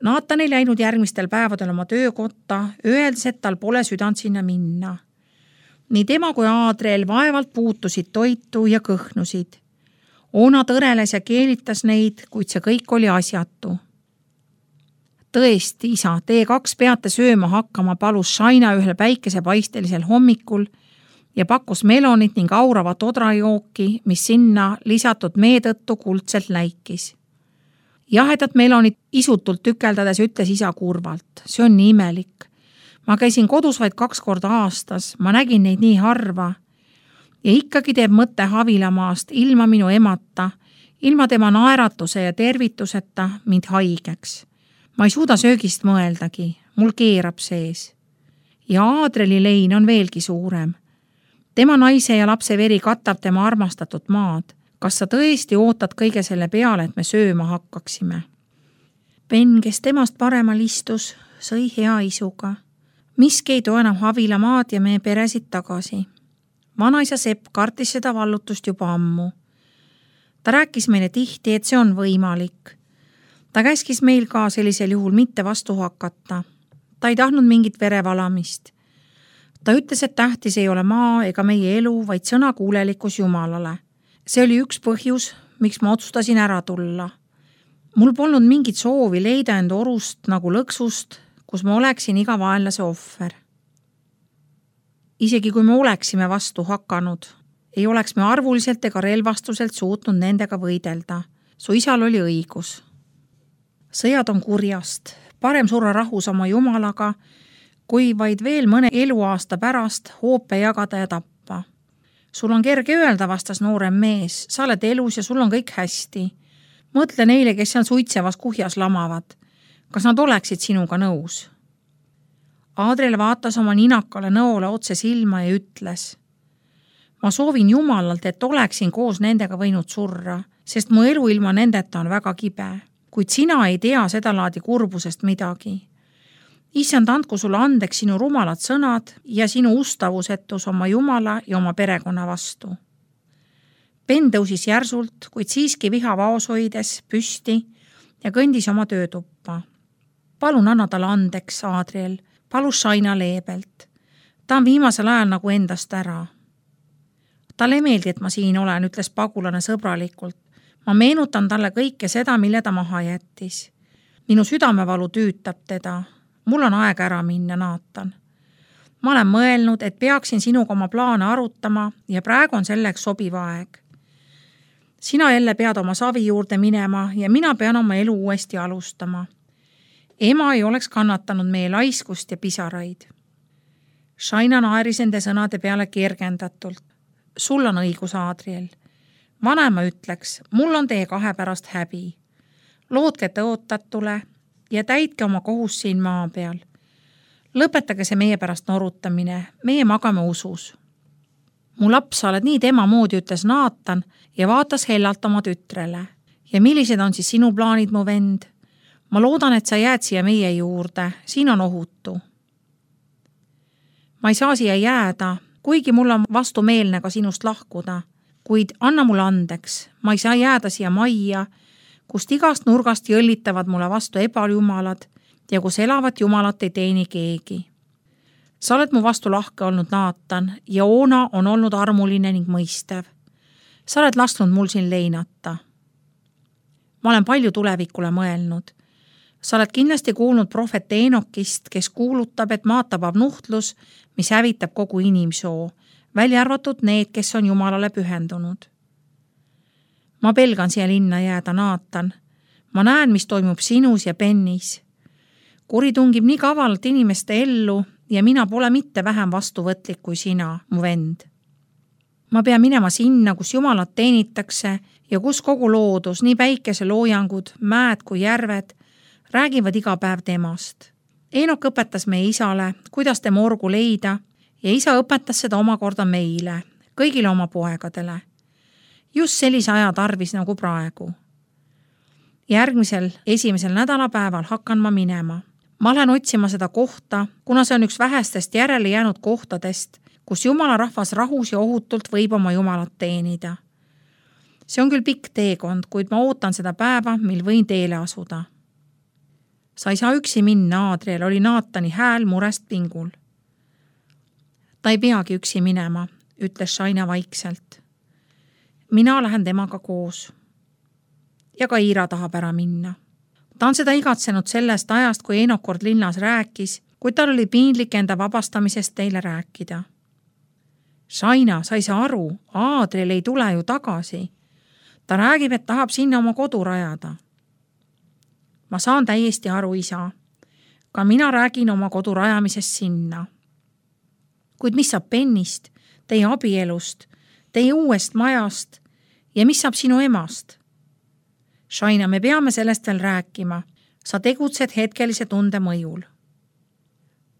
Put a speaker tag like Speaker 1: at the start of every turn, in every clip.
Speaker 1: Naatan ei läinud järgmistel päevadel oma töökotta, öeldes, et tal pole südant sinna minna. Nii tema kui Aadriel vaevalt puutusid toitu ja kõhnusid. Oona tõreles ja keelitas neid, kuid see kõik oli asjatu. Tõesti, isa, teie 2 peate sööma hakkama, palus Shaina ühel päikesepaistelisel hommikul ja pakkus melonit ning auravat odrajooki, mis sinna lisatud mee tõttu kuldselt läikis. Jahedat melonit isutult tükeldades ütles isa kurvalt. See on nii imelik. Ma käisin kodus vaid 2 korda aastas, ma nägin neid nii harva. Ja ikkagi teeb mõte Havilamaast ilma minu emata, ilma tema naeratuse ja tervituseta mind haigeks. Ma ei suuda söögist mõeldagi, mul keerab sees. Ja Aadreli lein on veelgi suurem. Tema naise ja lapse veri katab tema armastatud maad. Kas sa tõesti ootad kõige selle peale, et me sööma hakkaksime? Ben, kes temast paremal istus, sõi hea isuga. Miski ei too enam Havilamaad ja meie peresid tagasi. Vanaisa Sepp kartis seda vallutust juba ammu. Ta rääkis meile tihti, et see on võimalik. Ta käskis meil ka sellisel juhul mitte vastu hakata. Ta ei tahtnud mingit verevalamist. Ta ütles, et tähtis ei ole maa ega meie elu, vaid sõnakuulelikkus Jumalale. See oli üks põhjus, miks ma otsustasin ära tulla. Mul polnud mingit soovi leida end orust nagu lõksust, kus ma oleksin iga vaenlase ohver. Isegi kui me oleksime vastu hakanud, ei oleks me arvuliselt ega relvastuselt suutnud nendega võidelda. Su isal oli õigus. Sõjad on kurjast, parem surra rahus oma Jumalaga, kui vaid veel mõne eluaasta pärast hoope jagada ja tappa. Sul on kerge öelda, vastas noorem mees, sa oled elus ja sul on kõik hästi. Mõtle neile, kes seal suitsevas kuhjas lamavad. Kas nad oleksid sinuga nõus? Aadriel vaatas oma ninakale nõole otse silma ja ütles: ma soovin Jumalalt, et oleksin koos nendega võinud surra, sest mu elu ilma nendeta on väga kibe. Kuid sina ei tea seda laadi kurbusest midagi. Issand, andku sulle andeks sinu rumalad sõnad ja sinu ustavusetus oma Jumala ja oma perekonna vastu. Ben tõusis järsult, kuid siiski viha vaos hoides püsti ja kõndis oma töötuppa. Palun anna talle andeks, Aadriel, palus Shaina leebelt. Ta on viimasel ajal nagu endast ära. Talle ei meeldi, et ma siin olen, ütles pagulane sõbralikult. Ma meenutan talle kõike seda, mille ta maha jättis. Minu südamevalu tüütab teda. Mul on aeg ära minna, Naatan. Ma olen mõelnud, et peaksin sinuga oma plaane arutama ja praegu on selleks sobiv aeg. Sina jälle pead oma savi juurde minema ja mina pean oma elu uuesti alustama. Ema ei oleks kannatanud meie laiskust ja pisaraid. Shaina naeris ende sõnade peale kergendatult. Sul on õigus, Aadriel. Vanema ütleks, mul on teie 2 pärast häbi. Lootke tõotatule ja täitke oma kohus siin maa peal. Lõpetage see meie pärast norutamine, meie magame usus. Mu laps, sa oled nii tema moodi, ütles Naatan ja vaatas hellalt oma tütrele. Ja millised on siis sinu plaanid, mu vend? Ma loodan, et sa jääd siia meie juurde, siin on ohutu. Ma ei saa siia jääda, kuigi mul on vastumeelne ka sinust lahkuda, kuid anna mulle andeks, ma ei saa jääda siia majja, kust igast nurgast jõllitavad mulle vastu ebajumalad ja kus elavat jumalat ei teeni keegi. Sa oled mu vastu lahke olnud, Naatan, ja Oona on olnud armuline ning mõistev. Sa oled lasknud mul siin leinata. Ma olen palju tulevikule mõelnud. Sa oled kindlasti kuulnud prohvet Eenokist, kes kuulutab, et maad tabab nuhtlus, mis hävitab kogu inimsoo, välja arvatud need, kes on Jumalale pühendunud. Ma pelgan siia linna jääda, Naatan. Ma näen, mis toimub sinus ja Bennis. Kuri tungib nii kavalalt inimeste ellu ja mina pole mitte vähem vastuvõtlik kui sina, mu vend. Ma pean minema sinna, kus Jumalat teenitakse ja kus kogu loodus, nii päikeseloojangud, mäed kui järved, räägivad iga päev temast. Eenok õpetas meie isale, kuidas tema orgu leida ja isa õpetas seda omakorda meile, kõigile oma poegadele. Just sellise aja tarvis nagu praegu. Järgmisel 1. nädalapäeval hakkan ma minema. Ma lähen otsima seda kohta, kuna see on üks vähestest järele jäänud kohtadest, kus Jumala rahvas rahus ja ohutult võib oma Jumalat teenida. See on küll pikk teekond, kuid ma ootan seda päeva, mil võin teele asuda. Sa ei saa üksi minna, Aadriel, oli Naatani hääl murest pingul. Ta ei peagi üksi minema, ütles Shaina vaikselt. Mina lähen temaga koos. Ja ka Iira tahab ära minna. Ta on seda igatsenud sellest ajast, kui Eenok kord linnas rääkis, kuid tal oli piinlik enda vabastamisest teile rääkida. Shaina, sa ei saa aru, Aadriel ei tule ju tagasi. Ta räägib, et tahab sinna oma kodu rajada. Ma saan täiesti aru, isa. Ka mina räägin oma kodu rajamisest sinna. Kuid mis saab Bennist, teie abielust, teie uuest majast ja mis saab sinu emast? Shaina, me peame sellest veel rääkima. Sa tegutsed hetkelise tunde mõjul.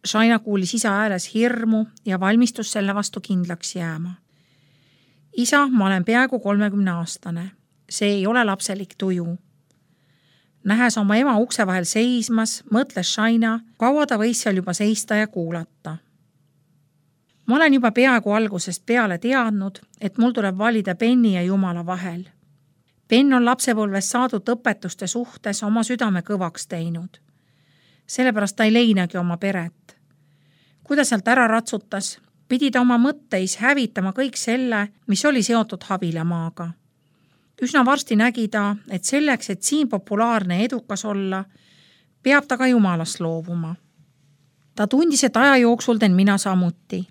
Speaker 1: Shaina kuulis isa ääres hirmu ja valmistus selle vastu kindlaks jääma. Isa, ma olen peaaegu 30-aastane. See ei ole lapselik tuju. Nähes oma ema ukse vahel seismas, mõtles Shaina, kaua ta võis seal juba seista ja kuulata. Ma olen juba peaaegu algusest peale teadnud, et mul tuleb valida Benni ja Jumala vahel. Ben on lapsepõlves saadud õpetuste suhtes oma südame kõvaks teinud. Sellepärast ta ei leinagi oma peret. Kui ta sealt ära ratsutas, pidi ta oma mõtteis hävitama kõik selle, mis oli seotud Havilamaaga. Üsna varsti nägi ta, et selleks, et siin populaarne edukas olla, peab ta ka Jumalast loovuma. Ta tundis, et aja jooksul teen mina samuti.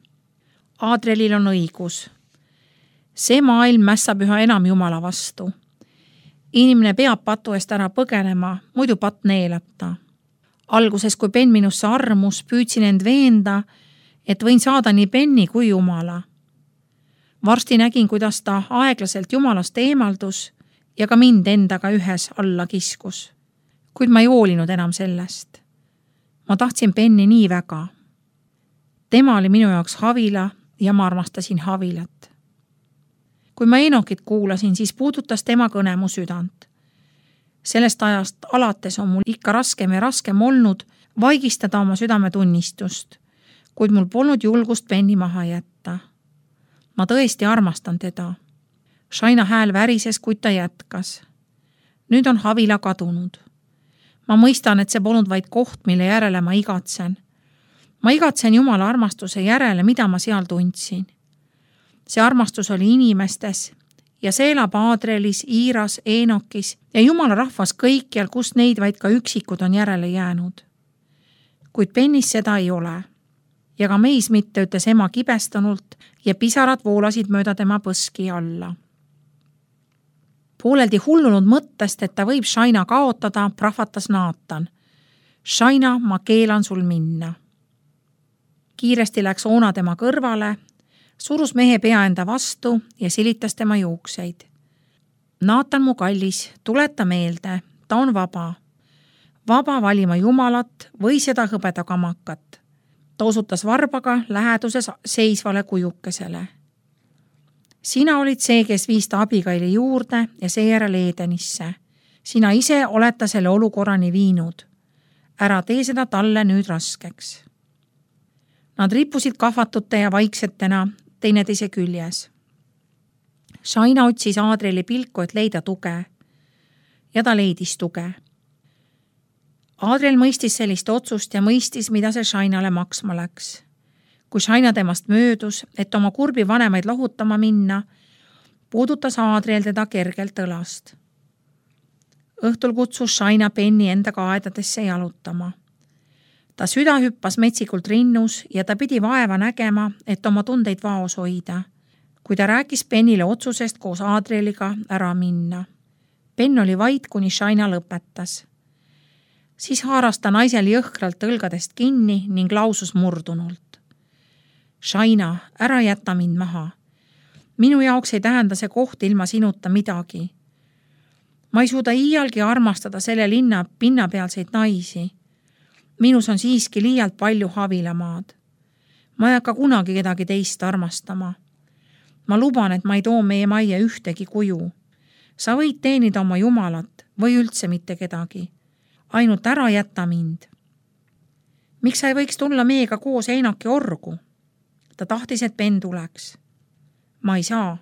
Speaker 1: Aadrielil on õigus. See maailm mässab üha enam Jumala vastu. Inimene peab patu eest ära põgenema, muidu patt neelab ta. Alguses, kui Ben minusse armus, püüdsin end veenda, et võin saada nii Benni kui Jumala. Varsti nägin, kuidas ta aeglaselt Jumalast eemaldus ja ka mind endaga ühes alla kiskus. Kuid ma ei hoolinud enam sellest. Ma tahtsin Benni nii väga. Tema oli minu jaoks Havila ja ma armastasin Havilat. Kui ma Eenokit kuulasin, siis puudutas tema kõne mu südant. Sellest ajast alates on mul ikka raskem ja raskem olnud vaigistada oma südametunnistust, kuid mul polnud julgust Benni maha jätta. Ma tõesti armastan teda. Shaina hääl värises, kuid ta jätkas. Nüüd on Havila kadunud. Ma mõistan, et see polnud vaid koht, mille järele ma igatsen. Ma igatsen Jumala armastuse järele, mida ma seal tundsin. See armastus oli inimestes ja see elab Aadrielis, Iiras, Eenokis ja Jumala rahvas kõikjal, kus neid vaid ka üksikud on järele jäänud. Kuid Bennis seda ei ole. Ja ka meis mitte, ütles ema kibestunult ja pisarad voolasid mööda tema põski alla. Pooleldi hullunud mõttest, et ta võib Shaina kaotada, prahvatas Naatan. Shaina, ma keelan sul minna. Kiiresti läks Oona tema kõrvale, surus mehe pea enda vastu ja silitas tema juukseid. Naatan, mu kallis, tuleta meelde, ta on vaba. Vaba valima Jumalat või seda hõbedakamakat. Ta osutas varbaga läheduses seisvale kujukesele. Sina olid see, kes viis ta Abigaili juurde ja seejärel Edenisse. Sina ise oled ta selle olukorrani viinud. Ära tee seda talle nüüd raskeks. Nad rippusid kahvatute ja vaiksetena teineteise küljes. Shaina otsis Aadrieli pilku, et leida tuge. Ja ta leidis tuge. Aadriel mõistis sellist otsust ja mõistis, mida see Shainale maksma läks. Kui Shaina temast möödus, et oma kurbi vanemaid lahutama minna, puudutas Aadriel teda kergelt õlast. Õhtul kutsus Shaina Benni endaga aedadesse jalutama. Ta süda hüppas metsikult rinnus ja ta pidi vaeva nägema, et oma tundeid vaos hoida, kui ta rääkis Bennile otsusest koos Aadrieliga ära minna. Ben oli vait, kuni Shaina lõpetas. Siis haaras ta naisel jõhkralt õlgadest kinni ning lausus murdunult. Shaina, ära jäta mind maha. Minu jaoks ei tähenda see koht ilma sinuta midagi. Ma ei suuda iialgi armastada selle linna pinnapealseid naisi. Minus on siiski liialt palju Havilamaad. Ma ei hakka kunagi kedagi teist armastama. Ma luban, et ma ei too meie majja ühtegi kuju. Sa võid teenida oma Jumalat või üldse mitte kedagi. Ainult ära jätta mind. Miks sa ei võiks tulla meiega koos Eenoki orgu? Ta tahtis, et Ben tuleks. Ma ei saa.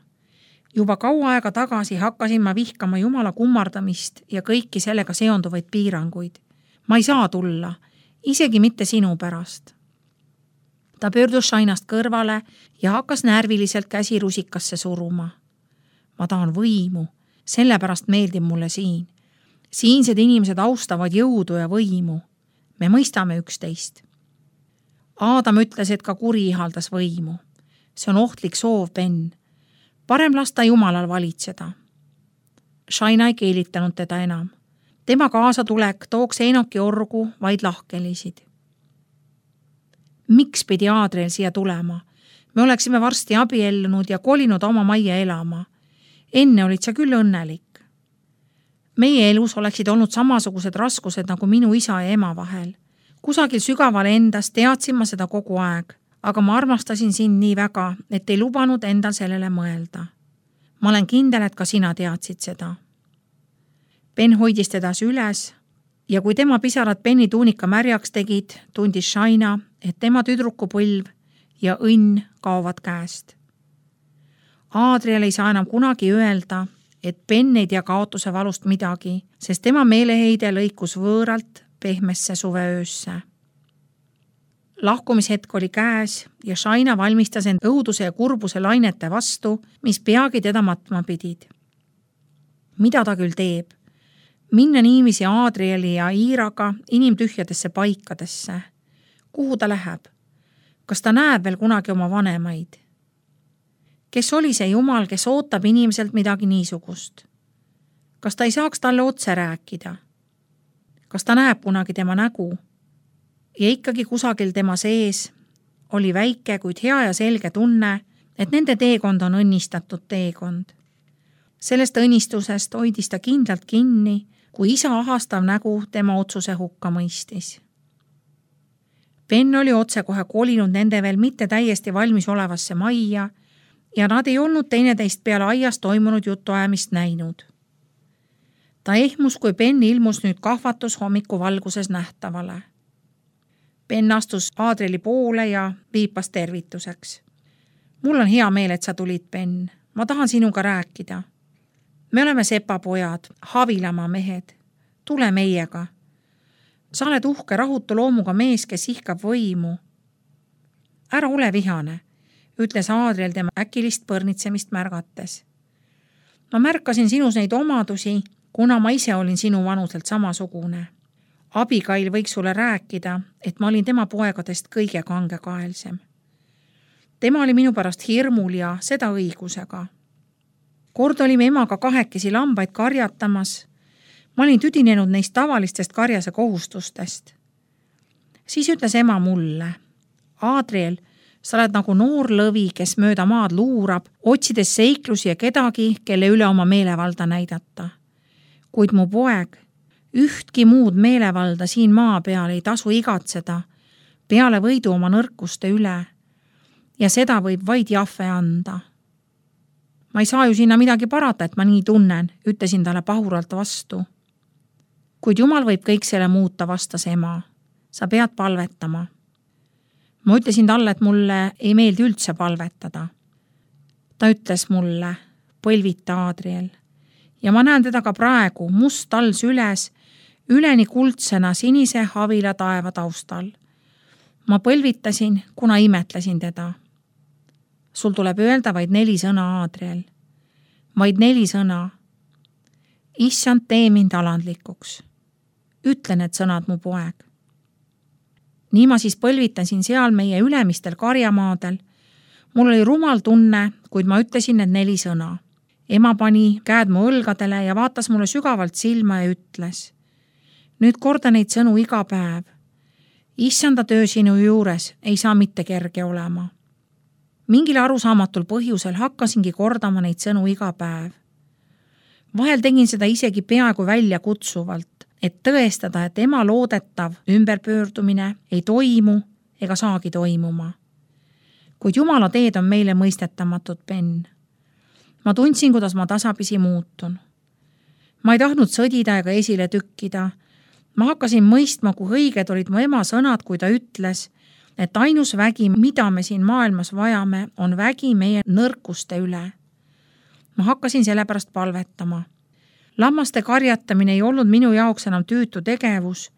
Speaker 1: Juba kaua aega tagasi hakkasin ma vihkama Jumala kummardamist ja kõiki sellega seonduvaid piiranguid. Ma ei saa tulla, isegi mitte sinu pärast. Ta pöördus Shainast kõrvale ja hakkas närviliselt käsi rusikasse suruma. Ma tahan võimu, sellepärast meeldib mulle siin. Siinsed inimesed austavad jõudu ja võimu. Me mõistame üksteist. Aadam ütles, et ka kuri ihaldas võimu. See on ohtlik soov, Ben. Parem lasta Jumalal valitseda. Shaina ei keelitanud teda enam. Tema kaasatulek tooks Enoki orgu vaid lahkelisid. Miks pidi Adriel siia tulema? Me oleksime varsti abiellunud ja kolinud oma majja elama. Enne olid sa küll õnnelik. Meie elus oleksid olnud samasugused raskused nagu minu isa ja ema vahel. Kusagil sügaval endas teadsin ma seda kogu aeg, aga ma armastasin sind nii väga, et ei lubanud endal sellele mõelda. Ma olen kindel, et ka sina teadsid seda. Ben hoidis teda üles ja kui tema pisarad Beni tuunika märjaks tegid, tundis Shaina, et tema tüdrukupõlv ja õnn kaovad käest. Adriel ei saa enam kunagi öelda, et Ben ei tea kaotuse valust midagi, sest tema meeleheide lõikus võõralt pehmesse suveöösse. Lahkumishetk oli käes ja Shaina valmistas end õuduse ja kurbuse lainete vastu, mis peagi teda matma pidid. Mida ta küll teeb? Minna niiviisi Adrieli ja Iiraga inimtühjadesse paikadesse. Kuhu ta läheb? Kas ta näeb veel kunagi oma vanemaid? Kes oli see Jumal, kes ootab inimeselt midagi niisugust? Kas ta ei saaks talle otse rääkida? Kas ta näeb kunagi tema nägu? Ja ikkagi kusagil tema sees oli väike, kuid hea ja selge tunne, et nende teekond on õnnistatud teekond. Sellest õnnistusest hoidis ta kindlalt kinni, kui isa ahastav nägu tema otsuse hukka mõistis. Ben oli otsekohe kolinud nende veel mitte täiesti valmis olevasse majja ja nad ei olnud teineteist peale aias toimunud jutuajamist näinud. Ta ehmus, kui Ben ilmus nüüd kahvatus hommikuvalguses nähtavale. Ben astus Adrieli poole ja viipas tervituseks. Mul on hea meel, et sa tulid, Ben. Ma tahan sinuga rääkida. Me oleme sepapojad, Havilamaa mehed. Tule meiega. Sa oled uhke rahutu loomuga mees, kes ihkab võimu. Ära ole vihane, ütles Adriel tema äkilist põrnitsemist märgates. Ma märkasin sinus neid omadusi, kuna ma ise olin sinu vanuselt samasugune. Abigail võiks sulle rääkida, et ma olin tema poegadest kõige kangekaelsem. Tema oli minu pärast hirmul ja seda õigusega. Kord olime emaga kahekesi lambaid karjatamas. Ma olin tüdinenud neist tavalistest karjase kohustustest. Siis ütles ema mulle, Adriel, sa oled nagu noor lõvi, kes mööda maad luurab, otsides seiklusi ja kedagi, kelle üle oma meelevalda näidata. Kuid mu poeg, ühtki muud meelevalda siin maa peal ei tasu igatseda, peale võidu oma nõrkuste üle. Ja seda võib vaid Jahve anda. Ma ei saa ju sinna midagi parata, et ma nii tunnen, ütlesin talle pahuralt vastu. Kuid Jumal võib kõik selle muuta, vastas ema. Sa pead palvetama. Ma ütlesin talle, et mulle ei meeldi üldse palvetada. Ta ütles mulle, põlvita Adriel. Ja ma näen teda ka praegu, must tal süles, üleni kuldsena sinise Havila taeva taustal. Ma põlvitasin, kuna imetlesin teda. Sul tuleb öelda vaid 4 sõna, Adriel. Vaid 4 sõna. Issand, tee mind alandlikuks. Ütle need sõnad, mu poeg. Nii ma siis põlvitasin seal meie ülemistel karjamaadel. Mul oli rumal tunne, kuid ma ütlesin need 4 sõna. Ema pani käed mu õlgadele ja vaatas mulle sügavalt silma ja ütles. Nüüd korda neid sõnu iga päev. Issanda töö sinu juures ei saa mitte kerge olema. Mingil arusaamatul põhjusel hakkasingi kordama neid sõnu iga päev. Vahel tegin seda isegi peaaegu välja kutsuvalt, et tõestada, et ema loodetav ümberpöördumine ei toimu ega saagi toimuma. Kuid Jumala teed on meile mõistetamatud, Ben. Ma tundsin, kuidas ma tasapisi muutun. Ma ei tahtnud sõdida ega esile tükkida. Ma hakkasin mõistma, kui õiged olid mu ema sõnad, kui ta ütles, et ainus vägi, mida me siin maailmas vajame, on vägi meie nõrkuste üle. Ma hakkasin sellepärast palvetama. Lammaste karjatamine ei olnud minu jaoks enam tüütu tegevus.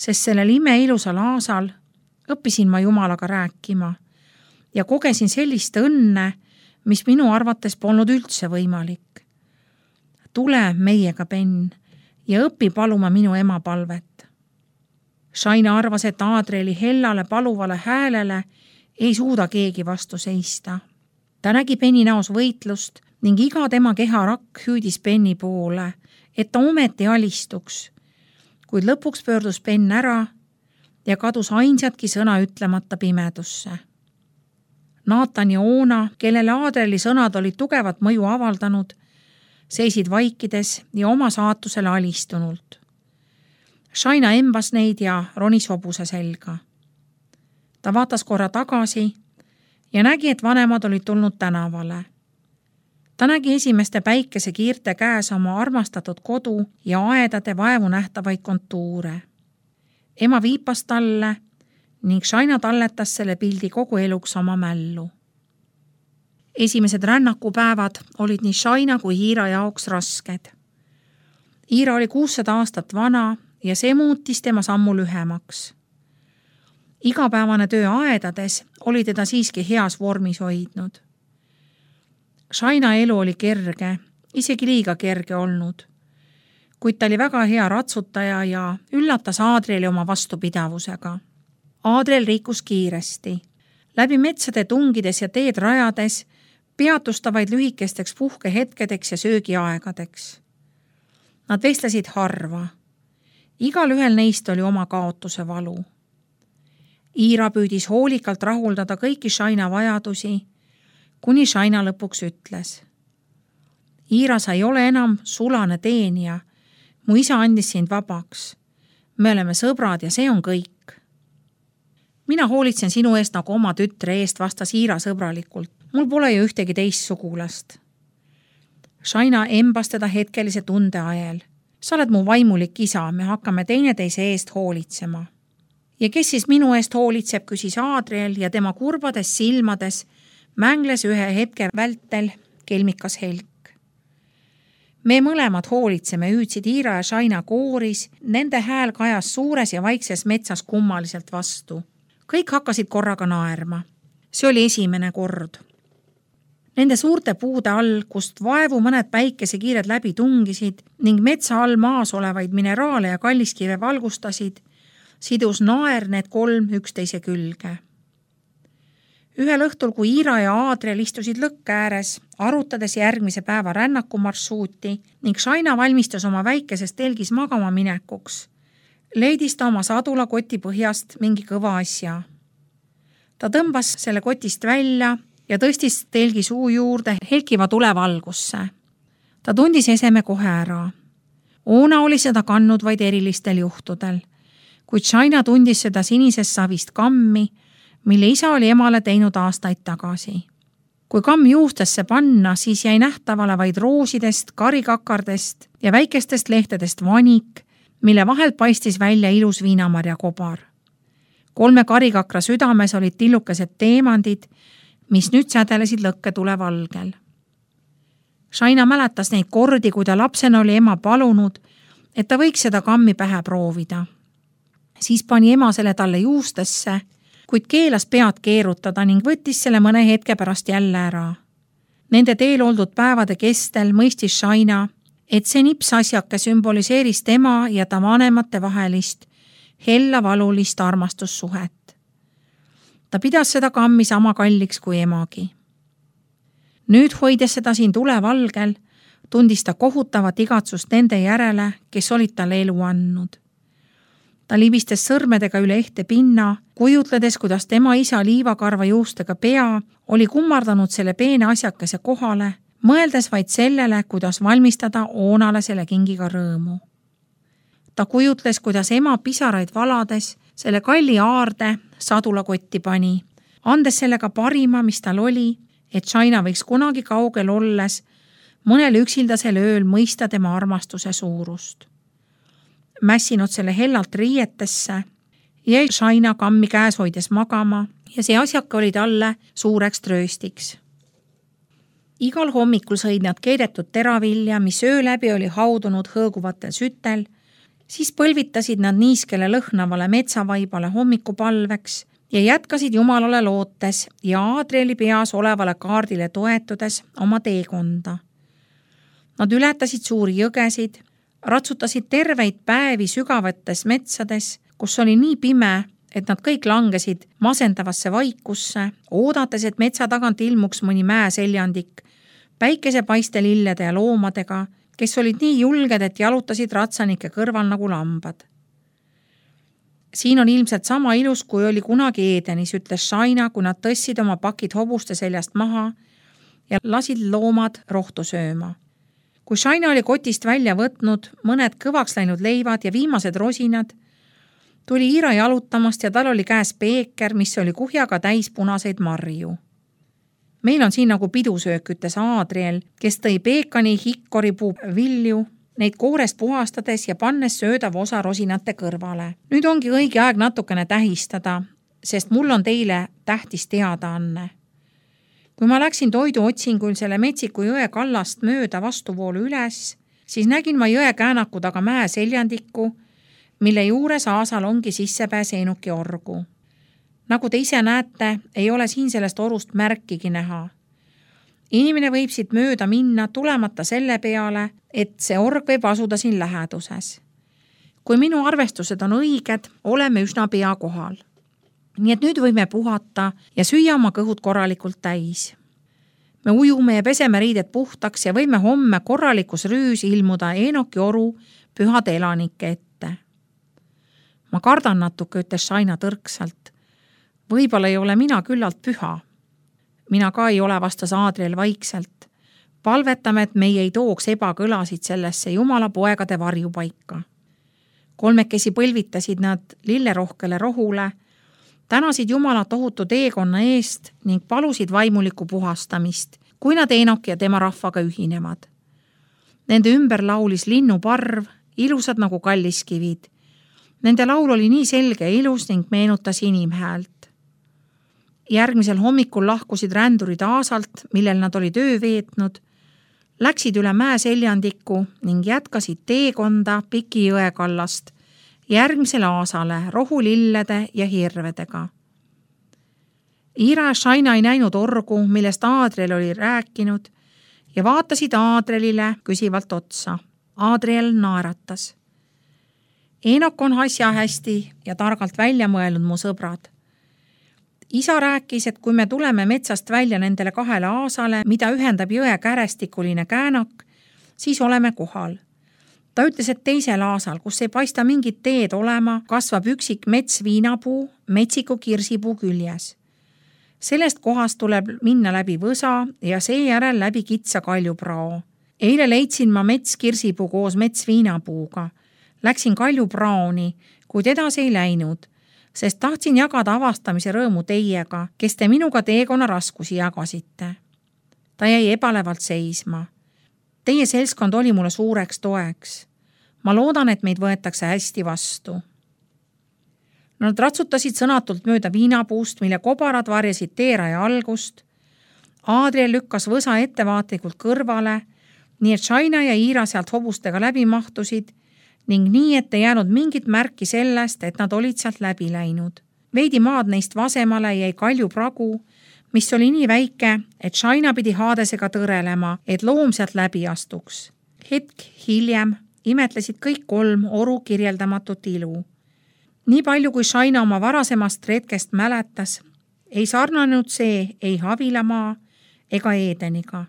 Speaker 1: sest sellel imeilusal aasal õppisin ma Jumalaga rääkima ja kogesin sellist õnne, mis minu arvates polnud üldse võimalik. Tule meiega, Ben, ja õpi paluma minu ema palvet. Shaina arvas, et Adrieli hellale paluvale häälele ei suuda keegi vastu seista. Ta nägi Beni näos võitlust ning iga tema keharakk hüüdis Beni poole, et ta ometi alistuks, kuid lõpuks pöördus Ben ära ja kadus ainsatki sõna ütlemata pimedusse. Naatan ja Oona, kellele Adrieli sõnad olid tugevat mõju avaldanud, seisid vaikides ja oma saatusele alistunult. Shaina embas neid ja ronis hobuse selga. Ta vaatas korra tagasi ja nägi, et vanemad olid tulnud tänavale. Ta nägi esimeste päikesekiirte käes oma armastatud kodu ja aedade vaevu nähtavaid kontuure. Ema viipas talle ning Shaina talletas selle pildi kogu eluks oma mällu. Esimesed rännakupäevad olid nii Shaina kui Iira jaoks rasked. Iira oli 600 aastat vana ja see muutis tema sammu lühemaks. Igapäevane töö aedades oli teda siiski heas vormis hoidnud. Shaina elu oli kerge, isegi liiga kerge olnud, kuid ta oli väga hea ratsutaja ja üllatas Adrieli oma vastupidavusega. Adriel liikus kiiresti. Läbi metsade tungides ja teed rajades peatus ta vaid lühikesteks puhkehetkedeks ja söögiaegadeks. Nad vestlesid harva. Igal ühel neist oli oma kaotuse valu. Iira püüdis hoolikalt rahuldada kõiki Shaina vajadusi, kuni Shaina lõpuks ütles. Iira, sa ei ole enam sulane teenija. Mu isa andis sind vabaks. Me oleme sõbrad ja see on kõik. Mina hoolitsen sinu eest nagu oma tütre eest, vastas Iira sõbralikult. Mul pole ju ühtegi teist sugulast. Shaina embas teda hetkelise tunde ajel. Sa oled mu vaimulik isa, me hakkame teineteise eest hoolitsema. Ja kes siis minu eest hoolitseb, küsis Adriel ja tema kurbades silmades mängles ühe hetke vältel kelmikas helk. Me mõlemad hoolitseme, hüüdsid Iira ja Shaina kooris, nende hääl kajas suures ja vaikses metsas kummaliselt vastu. Kõik hakkasid korraga naerma. See oli esimene kord. Nende suurte puude all, kust vaevu mõned päikesekiired läbi tungisid ning metsa all maas olevaid mineraale ja kalliskive valgustasid, sidus naer need kolm üksteise külge. Ühel õhtul, kui Iira ja Adriel istusid lõkke ääres, arutades järgmise päeva rännakumarssuuti ning Shaina valmistas oma väikeses telgis magama minekuks, leidis ta oma sadula koti põhjast mingi kõva asja. Ta tõmbas selle kotist välja ja tõstis telgi suu juurde helkiva tulevalgusse. Ta tundis eseme kohe ära. Oona oli seda kandnud vaid erilistel juhtudel, kuid Shaina tundis seda sinisest savist kammi, mille isa oli emale teinud aastaid tagasi. Kui kamm juustesse panna, siis jäi nähtavale vaid roosidest, karikakardest ja väikestest lehtedest vanik, mille vahelt paistis välja ilus viinamarja kobar. 3 karikakra südames olid tillukesed teemandid, mis nüüd sädelesid lõkketule valgel. Shaina mäletas neid kordi, kui ta lapsena oli ema palunud, et ta võiks seda kammi pähe proovida. Siis pani ema selle talle juustesse, kuid keelas pead keerutada ning võttis selle mõne hetke pärast jälle ära. Nende teel oldud päevade kestel mõistis Shaina, et see nipsasjake sümboliseeris tema ja ta vanemate vahelist, hella valulist armastussuhet. Ta pidas seda kammi sama kalliks kui emagi. Nüüd hoides seda siin tulevalgel, tundis ta kohutavat igatsust nende järele, kes olid talle elu andnud. Ta libistes sõrmedega üle ehte pinna, kujutledes, kuidas tema isa liivakarva juustega pea oli kummardanud selle peene asjakese kohale, mõeldes vaid sellele, kuidas valmistada Oonale selle kingiga rõõmu. Ta kujutles, kuidas ema pisaraid valades selle kalli aarde sadulakotti pani, andes sellega parima, mis tal oli, et Shaina võiks kunagi kaugel olles mõnel üksildasel ööl mõista tema armastuse suurust. Mässinud selle hellalt riietesse, jäi Shaina kammi käes hoides magama ja see asjake oli talle suureks trööstiks. Igal hommikul sõid nad keedetud teravilja, mis öö läbi oli haudunud hõõguvatel sütel, Siis põlvitasid nad niiskele lõhnavale metsavaibale hommikupalveks ja jätkasid Jumalale lootes ja Aadrieli peas olevale kaardile toetudes oma teekonda. Nad ületasid suuri jõgesid, ratsutasid terveid päevi sügavates metsades, kus oli nii pime, et nad kõik langesid masendavasse vaikusse, oodates, et metsa tagant ilmuks mõni mäeseljandik, päikesepaiste lillede ja loomadega, kes olid nii julged, et jalutasid ratsanike kõrval nagu lambad. Siin on ilmselt sama ilus, kui oli kunagi Edenis, ütles Shaina, kui nad tõssid oma pakid hobuste seljast maha ja lasid loomad rohtu sööma. Kui Shaina oli kotist välja võtnud mõned kõvaks läinud leivad ja viimased rosinad, tuli Iira jalutamast ja tal oli käes peeker, mis oli kuhjaga täis punaseid marju. Meil on siin nagu pidusöök, ütles Aadriel, kes tõi peekani hikkoripuu vilju, neid koorest puhastades ja pannes söödav osa rosinate kõrvale. Nüüd ongi õige aeg natukene tähistada, sest mul on teile tähtis teadaanne. Kui ma läksin toidu otsingul selle Metsiku jõe kallast mööda vastuvoolu üles, siis nägin ma jõe käänaku taga mäe seljandikku, mille juures aasal ongi sissepääs Eenuki orgu. Nagu te ise näete, ei ole siin sellest orust märkigi näha. Inimene võib siit mööda minna tulemata selle peale, et see org võib asuda siin läheduses. Kui minu arvestused on õiged, oleme üsna pea kohal. Nii et nüüd võime puhata ja süüa oma kõhud korralikult täis. Me ujume ja peseme riided puhtaks ja võime homme korralikus rüüs ilmuda Eenoki oru pühade elanike ette. Ma kardan natuke, ütles Shaina tõrksalt. Võib-olla ei ole mina küllalt püha. Mina ka ei ole, vastas Aadriel vaikselt. Palvetame, et meie ei tooks ebakõlasid sellesse Jumala poegade varjupaika. Kolmekesi põlvitasid nad lillerohkele rohule, tänasid Jumala tohutu teekonna eest ning palusid vaimulikku puhastamist, kui nad Eenoki ja tema rahvaga ühinevad. Nende ümber laulis linnuparv, ilusad nagu kalliskivid. Nende laul oli nii selge ja ilus ning meenutas inimhäält. Järgmisel hommikul lahkusid rändurid aasalt, millel nad olid öö veetnud, läksid üle mäe seljandikku ning jätkasid teekonda Piki jõe kallast järgmisele aasale rohulillede ja hirvedega. Iira ja Shaina ei näinud orgu, millest Aadriel oli rääkinud ja vaatasid Aadrielile küsivalt otsa. Aadriel naeratas. Eenok on asja hästi ja targalt välja mõelnud, mu sõbrad. Isa rääkis, et kui me tuleme metsast välja nendele 2 aasale, mida ühendab jõe kärestikuline käänak, siis oleme kohal. Ta ütles, et 2. aasal, kus ei paista mingit teed olema, kasvab üksik metsviinapuu Metsiku kirsipuu küljes. Sellest kohast tuleb minna läbi võsa ja seejärel läbi kitsa kaljuprao. Eile leidsin ma metskirsipuu koos metsviinapuuga. Läksin kaljupraoni, kuid edasi ei läinud, sest tahtsin jagada avastamise rõõmu teiega, kes te minuga teekonna raskusi jagasite. Ta jäi ebalevalt seisma. Teie seltskond oli mulle suureks toeks. Ma loodan, et meid võetakse hästi vastu. Nad ratsutasid sõnatult mööda viinapuust, mille kobarad varjasid teeraja algust. Aadriel lükkas võsa ettevaatlikult kõrvale, nii et Shaina ja Iira sealt hobustega läbi mahtusid ning nii, et ei jäänud mingit märki sellest, et nad olid sealt läbi läinud. Veidi maad neist vasemale jäi kaljupragu, mis oli nii väike, et Shaina pidi haadesega tõrelema, et loom sealt läbi astuks. Hetk hiljem imetlesid kõik 3 oru kirjeldamatut ilu. Nii palju, kui Shaina oma varasemast retkest mäletas, ei sarnanud see ei Havilamaa ega Edeniga.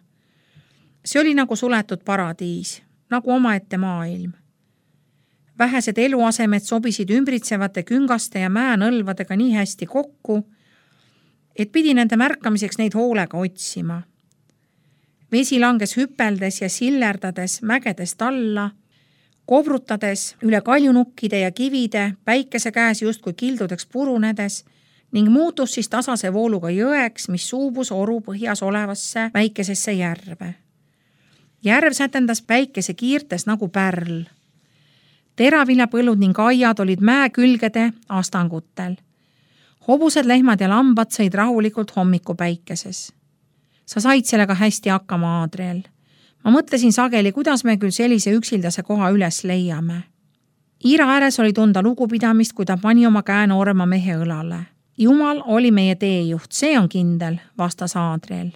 Speaker 1: See oli nagu suletud paradiis, nagu omaette maailm. Vähesed eluasemed sobisid ümbritsevate küngaste ja mäenõlvadega nii hästi kokku, et pidi nende märkamiseks neid hoolega otsima. Vesi langes hüpeldes ja sillerdades mägedest alla, kobrutades üle kaljunukkide ja kivide, päikese käes justkui kildudeks purunedes ning muutus siis tasase vooluga jõeks, mis suubus oru põhjas olevasse väikesesse järve. Järv sätendas päikese kiirtes nagu pärl. Teraviljapõllud ning aiad olid mäe külgede astangutel. Hobused, lehmad ja lambad sõid rahulikult hommikupäikeses. Sa said sellega hästi hakkama, Aadriel. Ma mõtlesin sageli, kuidas me küll sellise üksildase koha üles leiame. Iira ääres oli tunda lugupidamist, kui ta pani oma käe noorema mehe õlale. Jumal oli meie teejuht, see on kindel, vastas Aadriel.